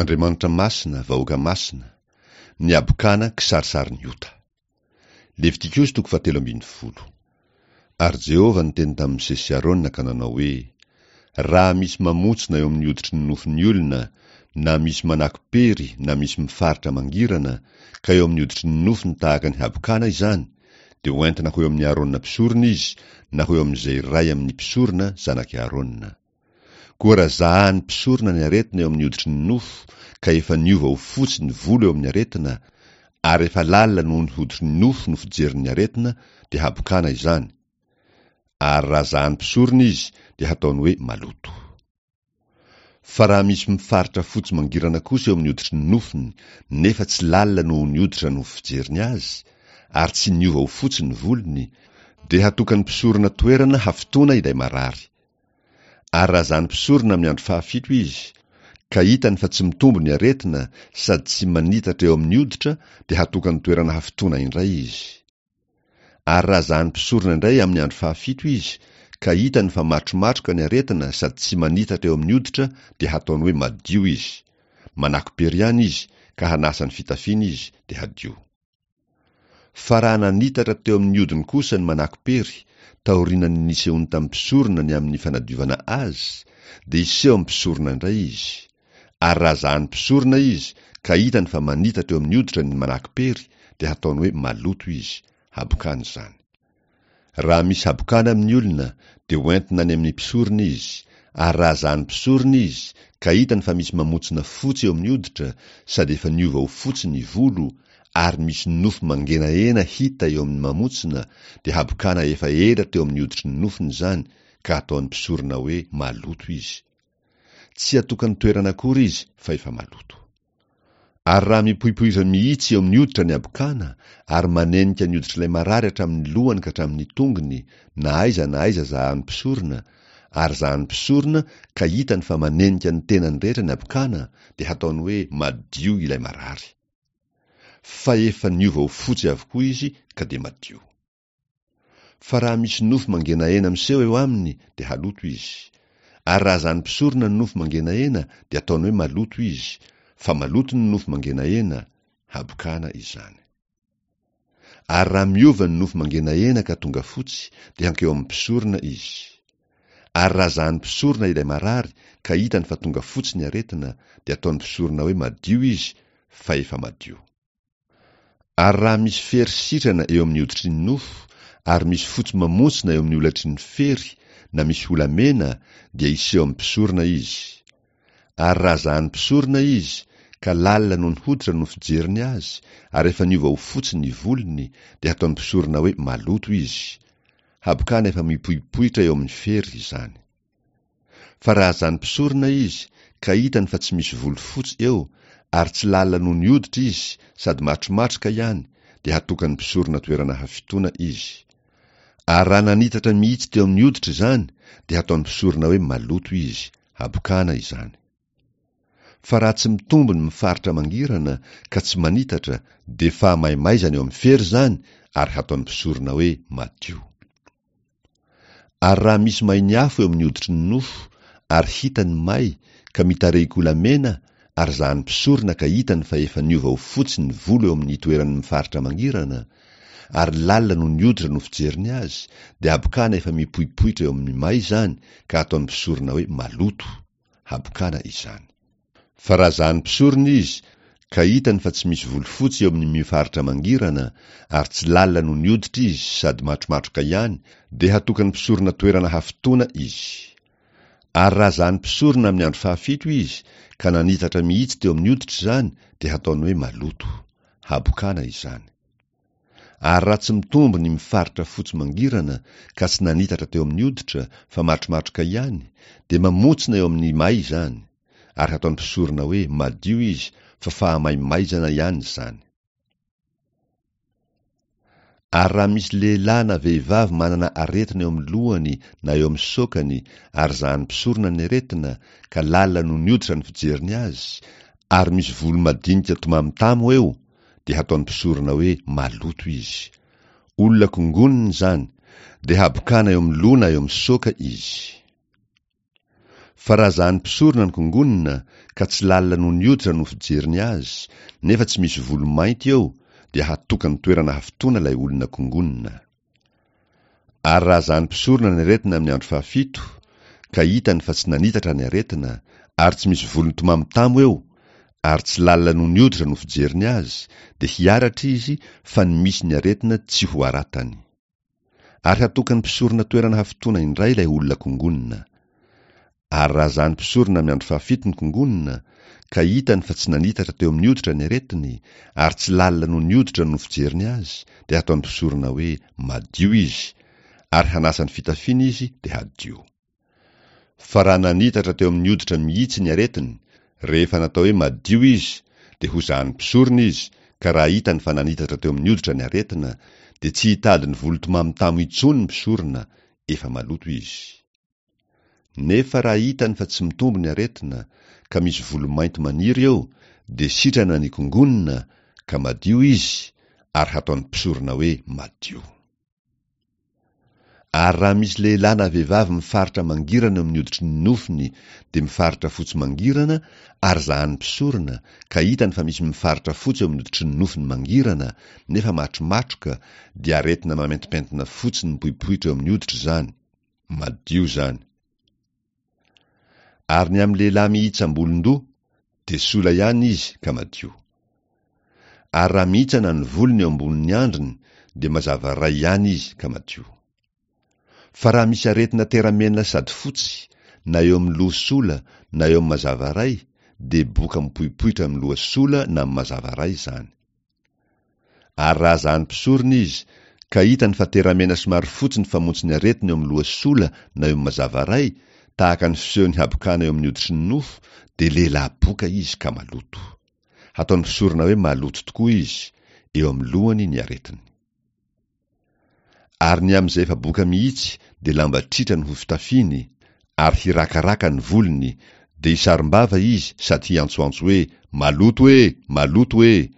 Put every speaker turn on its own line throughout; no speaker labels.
Andriamanitra masina, vahoaka masina, ny habokana kisarisarin'ny ota. Levitikosy toko fahatelo ambin'ny folo. Ary Jehovah niteny tamin'i Mosesy sy Arona ka nanao hoe, Raha misy mamontsina eo amin'ny hoditry ny nofon'ny olona, na misy manako-pery na misy mifaritra mangirana, ka eo amin'ny hoditry ny nofony tahaka ny habokana izany, dia hoentina ho eo amin'i Arona mpisorona izy, na ho eo amin'izay iray amin'ny mpisorona zanak'i Arona. Koa raha zahan'ny mpisorona ny aretina eo amin'ny hoditry ny nofo, ka efa niova ho fotsy ny volo eo amin'ny aretina, ary efa lalina noho ny hoditry ny nofo no fijeriny ny aretina, dia habokana izany, ary raha zahan'ny mpisorona izy, dia hataony hoe maloto. Fa raha misy mifaritra fotsy mangirana kosa eo amin'ny hoditry ny nofony, nefa tsy lalina noho ny hoditra no fijeriny azy, ary tsy niova ho fotsy ny volony, dia hatokan'ny mpisorona toerana hafitoana ilay marary. Ary raha zany mpisorona amin'ny andro fahafito izy, ka hitany fa tsy mitombo ny aretina sady tsy manitatra eo amin'ny hoditra, dia hatokany toerana hafitoana indray izy. Ary raha zany mpisorona indray amin'ny andro fahafito izy, ka hitany fa matromatroka ny aretina sady tsy manitatra eo amin'ny hoditra, dia hataony hoe madio izy. Manako-pery ihany izy, ka hanasa ny fitafiany izy, dia hadio. Fa raha nanitatra teo amin'ny hodiny kosa ny manako-pery, taorianan'ny nisehoany tamin'ny mpisorona ny amin'ny fanadiovana azy, dia hiseho amin'ny mpisorona indray izy. Ary raha zahan'ny mpisorona izy, ka hitany fa manitatra eo amin'ny hoditra ny manako-pery, dia hataony hoe maloto izy, habokany izany. Raha misy habokana amin'ny olona, dia ho entina any amin'ny mpisorona izy, ary raha zahan'ny mpisorona izy, ka hitany fa misy mamontsina fotsy eo amin'ny hoditra, sady efa niova ho fotsy ny volo, ary misy nofo mangenahena hita eo amin'ny mamontsina, dia habokana efa ela teo amin'ny hoditry ny nofony izany, ka hataon'ny mpisorona hoe maloto izy. Tsy hatokany toerana akory izy, fa efa maloto. Ary raha mipoipoitra mihitsy eo amin'ny hoditra ny habokana, ary manenika ny hoditr'ilay marary hatramin'ny lohany ka hatramin'ny tongony, na aiza na aiza zahan'ny mpisorona, ary zahan'ny mpisorona ka hitany fa manenika ny tenany rehetra ny habokana, dia hataony hoe madio ilay marary. Fa efa niova ho fotsy avokoa izy ka dia madio. Fa raha misy nofo mangenahena miseho eo aminy dia haloto izy. Ary raha zany mpisorona ny nofo mangenahena dia ataony hoe maloto izy, fa maloto ny nofo mangenahena, habokana izany. Ary raha miova ny nofo mangenahena ka tonga fotsy dia hankeo amin'ny mpisorona izy. Ary raha zahan'ny mpisorona ilay marary ka hitany fa tonga fotsy ny aretina dia ataon'ny mpisorona hoe madio izy fa efa madio. Ary raha misy fery sitrana eo amin'ny hoditry ny nofo, ary misy fotsy mamontsina eo amin'ny holatry ny fery, na misy hola mena, dia hiseho amin'ny mpisorona izy. Ary raha zahan'ny mpisorona izy, ka lalina noho ny hoditra no fijeriny azy, ary efa niova ho fotsy ny volony, dia hataon'ny mpisorona hoe maloto izy. Habokana efa mipoipoitra eo amin'ny fery izany. Fa raha zany mpisorona izy, ka hitany fa tsy misy volo fotsy eo, ary tsy lalina noho ny hoditra izy, sady matromatroka ihany, dia hatokan'ny mpisorona toerana hafitoana izy. Ary raha nanitatra mihitsy teo amin'ny hoditra izany, dia hataon'ny mpisorona hoe maloto izy, habokana izany. Fa raha tsy mitombo ny mifaritra mangirana, ka tsy manitatra, dia fahamaimaizana eo amin'ny fery izany, ary hataon'ny mpisorona hoe madio. Ary raha misy main'ny afo eo amin'ny hoditry ny nofo, ary hita ny may, ka mitarehin-kolamena, ary zahan'ny mpisorona ka hitany fa efa niova ho fotsy ny volo eo amin'ny toeran'ny mifaritra mangirana, ary lalina noho ny hoditra no fijeriny azy, dia habokana efa mipoipoitra eo amin'ny may izany, ka ataon'ny mpisorona hoe maloto. Habokana izany. Fa raha zahan'ny mpisorona izy, ka hitany fa tsy misy volo fotsy eo amin'ny mifaritra mangirana, ary tsy lalina noho ny hoditra izy sady matromatroka ihany, dia hatokan'ny mpisorona toerana hafitoana izy. Ary raha zahan'ny mpisorona amin'ny andro fahafito izy, ka nanitatra mihitsy teo amin'ny hoditra izany, dia hataony hoe maloto. Habokana izany. Ary raha tsy mitombo ny mifaritra fotsy mangirana ka tsy nanitatra teo amin'ny hoditra fa matromatroka ihany, dia mamontsina eo amin'ny may izany, ary hataon'ny mpisorona hoe madio izy fa fahamaimaizana ihany izany. Ary raha misy lehilahy na vehivavy manana aretina eo amin'ny lohany na eo amin'ny saokany ary zahan'ny mpisorona ny aretina ka lalina noho ny hoditra ny fijeriny azy ary misy volo madinika tomamotamo eo, dia hataon'ny mpisorona hoe maloto izy. Olona kongonina izany, dia habokana eo amin'ny loha na eo amin'ny saoka izy. Fa raha zahan'ny mpisorona ny kongonina, ka tsy lalina noho ny hoditra no fijeriny azy, nefa tsy misy volo mainty eo, dia hatokany toerana hafitoana ilay olona kongonina. Ary raha zahan'ny mpisorona ny aretina amin'ny andro fahafito, ka hitany fa tsy nanitatra ny aretina, ary tsy misy volo mitomamotamo eo, ary tsy lalina noho ny hoditra no fijeriny azy, dia hiaratra izy fa ny misy ny aretina tsy ho aratany. Ary hatokan'ny mpisorona toerana hafitoana indray ilay olona kongonina. Ary raha zahan'ny mpisorona amin'ny andro fahafito ny kongonina, ka hitany fa tsy nanitatra teo amin'ny hoditra ny aretiny, ary tsy lalina noho ny hoditra no fijeriny azy, dia hataon'ny mpisorona hoe madio izy, ary hanasa ny fitafiany izy dia hadio. Fa raha nanitatra teo amin'ny hoditra mihitsy ny aretiny, rehefa natao hoe madio izy, dia hozahan'ny mpisorona izy, ka raha hitany fa nanitatra teo amin'ny hoditra ny aretina, dia tsy hitady ny volo tomamotamo intsony ny mpisorona, efa maloto izy. Nefa raha hitany fa tsy mitombo ny aretina, ka misy volo mainty maniry eo, dia sitrana ny kongonina, ka madio izy, ary hataon'ny mpisorona hoe madio. Ary raha misy lehilahy na vehivavy mifaritra mangirana eo amin'ny hoditry ny nofony dia mifaritra fotsy mangirana ary zahan'ny mpisorona ka hitany fa misy mifaritra fotsy eo amin'ny hoditry ny nofony mangirana nefa matromatroka dia aretina mamentipentina fotsy mipoipoitra eo amin'ny hoditra izany, madio izany. Ary ny amin'ny lehilahy mihitsam-bolon-doha dia sola ihany izy ka madio. Ary raha mihitsana ny volony eo ambonin'ny andriny dia mazava ray ihany izy ka madio. Fa raha misy aretina teramena sady fotsy, na eo amin'ny loha sola na eo amin'ny mazava ray, dia boka mipoipoitra amin'ny loha sola na amin'ny mazava ray izany. Ary raha zahan'ny mpisorona izy, ka hitany fa teramena somary fotsy ny famontsin'ny aretina eo amin'ny loha sola na eo amin'ny mazava ray, tahaka ny fisehon'ny habokana eo amin'ny hoditry ny nofo, dia lehilahy boka izy ka maloto. Hataon'ny mpisorona hoe maloto tokoa izy, eo amin'ny lohany ny aretiny. Ary ny amin'izay efa boka mihitsy dia lamba tritra no ho fitafiny, ary hirakaraka ny volony, dia hisarom-bava izy sady hiantsoantso hoe, Maloto e! Maloto e!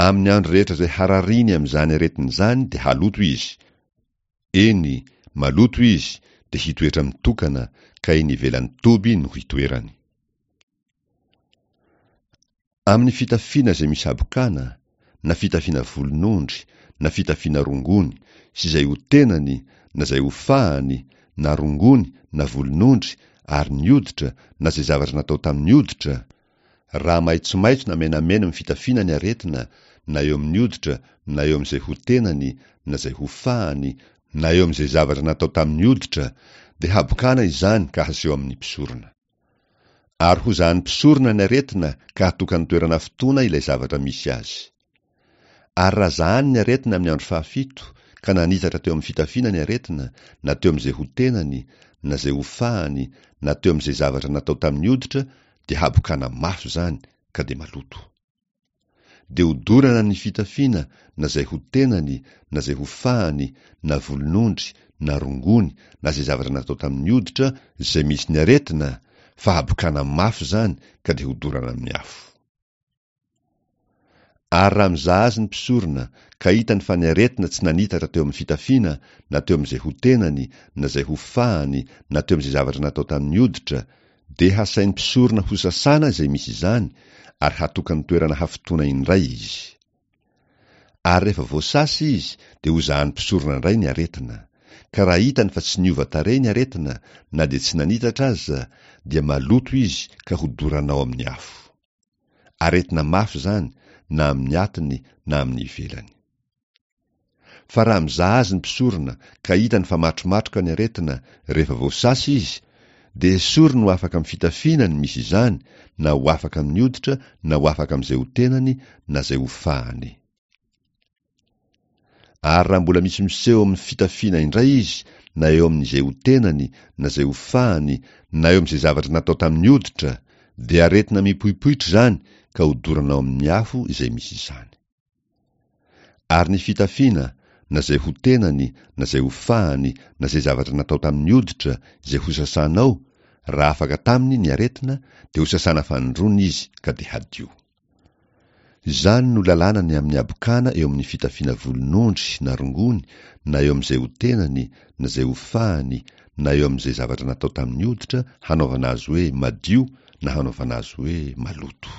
Amin'ny andro rehetra izay harariany amin'izany aretina izany dia haloto izy, eny, maloto izy, dia hitoetra mitokana, ka eny ivelan'ny toby no hitoerany. Amin'ny fitafiana izay misy habokana, na fitafiana volon'ondry, na fitafiana rongony, sy izay ho tenany, na izay ho fahany, na rongony, na volon'ondry, ary ny hoditra, na izay zavatra natao tamin'ny hoditra, raha maitsomaitso na menamena amin'ny fitafiana ny aretina, na eo amin'ny hoditra, na eo amin'izay ho tenany, na izay ho fahany, na eo amin'izay zavatra natao tamin'ny hoditra, dia habokana izany ka haseho amin'ny mpisorona. Ary hozahan'ny mpisorona ny aretina ka hatokany toerana fotoana ilay zavatra misy azy. Ary raha zahany ny aretina amin'ny andro fahafito, ka nanitatra teo amin'ny fitafiana ny aretina, na teo amin'izay ho tenany, na izay ho fahany, na teo amin'izay zavatra natao tamin'ny hoditra, dia habokana mafy izany, ka dia maloto. Dia hodorana ny fitafiana na izay ho tenany na izay ho fahany na volon'ondry na rongony na izay zavatra natao tamin'ny hoditra izay misy ny aretina fa habokana mafy izany ka dia hodorana amin'ny afo. Ary raha mizaha azy ny mpisorona ka hitany fa ny aretina tsy nanitatra teo amin'ny fitafiana na teo amin'izay ho tenany na izay ho fahany na teo amin'izay zavatra natao tamin'ny hoditra Dia hasain'ny mpisorona hosasana izay misy izany ary hatokany toerana hafotoana indray izy. Ary rehefa voasasa izy dia hozahan'ny mpisorona indray ny aretina, ka raha hitany fa tsy niova tarehy ny aretina na dia tsy nanitatra aza dia maloto izy ka hodorana ao amin'ny afo. Aretina mafy izany na amin'ny atiny na amin'ny ivelany. Fa raha mizaha azy ny mpisorona ka hitany fa matromatroka ny aretina rehefa voasasa izy, dia esoriny ho afaka amin'ny fitafiana ny misy izany na ho afaka amin'ny hoditra na ho afaka amin'izay ho tenany na izay ho fahany. Ary raha mbola misy miseho amin'ny fitafiana indray izy na eo amin'izay ho tenany na izay ho fahany na eo amin'izay zavatra natao tamin'ny hoditra, dia aretina mipoipoitra izany ka hodorana ao amin'ny afo izay misy izany. Ary ny fitafiana, na izay ho tenany, na izay ho fahany, na izay zavatra natao tamin'ny hoditra, izay hosasanao, raha afaka taminy ny aretina, dia hosasana fanindroany izy ka dia hadio. Izany no lalàna ny amin'ny habokana eo amin'ny fitafiana volon'ondry na rongony na eo amin'izay ho tenany na izay ho fahany na eo amin'izay zavatra natao tamin'ny hoditra hanaovana azy hoe madio na hanaovana azy hoe maloto.